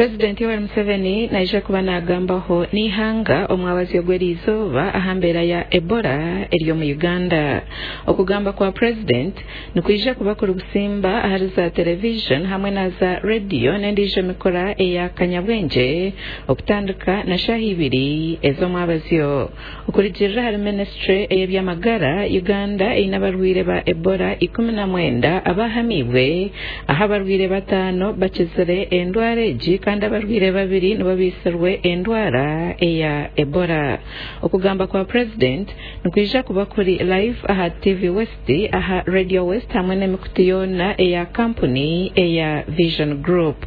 Purezidenti Yoweri Museveni naija kuba naagambaho n'eihanga omwabazyo gw'eriizooba aha mbeera ya Ebola eri omu Uganda. Okugamba kwa Purezidenti nikwija kuba kuri busimba ahari za terevijoni hamwe na za rediyo n'endiijo mikura eya kanyabwengye okutandika na shaaha ibiri ez'omwabazyo. Okurugiirira ahari minisiture ey'eby'amagara, Uganda eine abarwaire ba Ebola 19 abahamiibwe, ahu abarwaire bataano bakizire endwara egi kandi abarwaire babiri nibo baitsirwe endwara eya Ebola. Okugamba kwa Purezidenti nikwija kuba kuri live aha TV West, aha Radio West hamwe n'emikutu yoona eya kampuni eya Vision Group.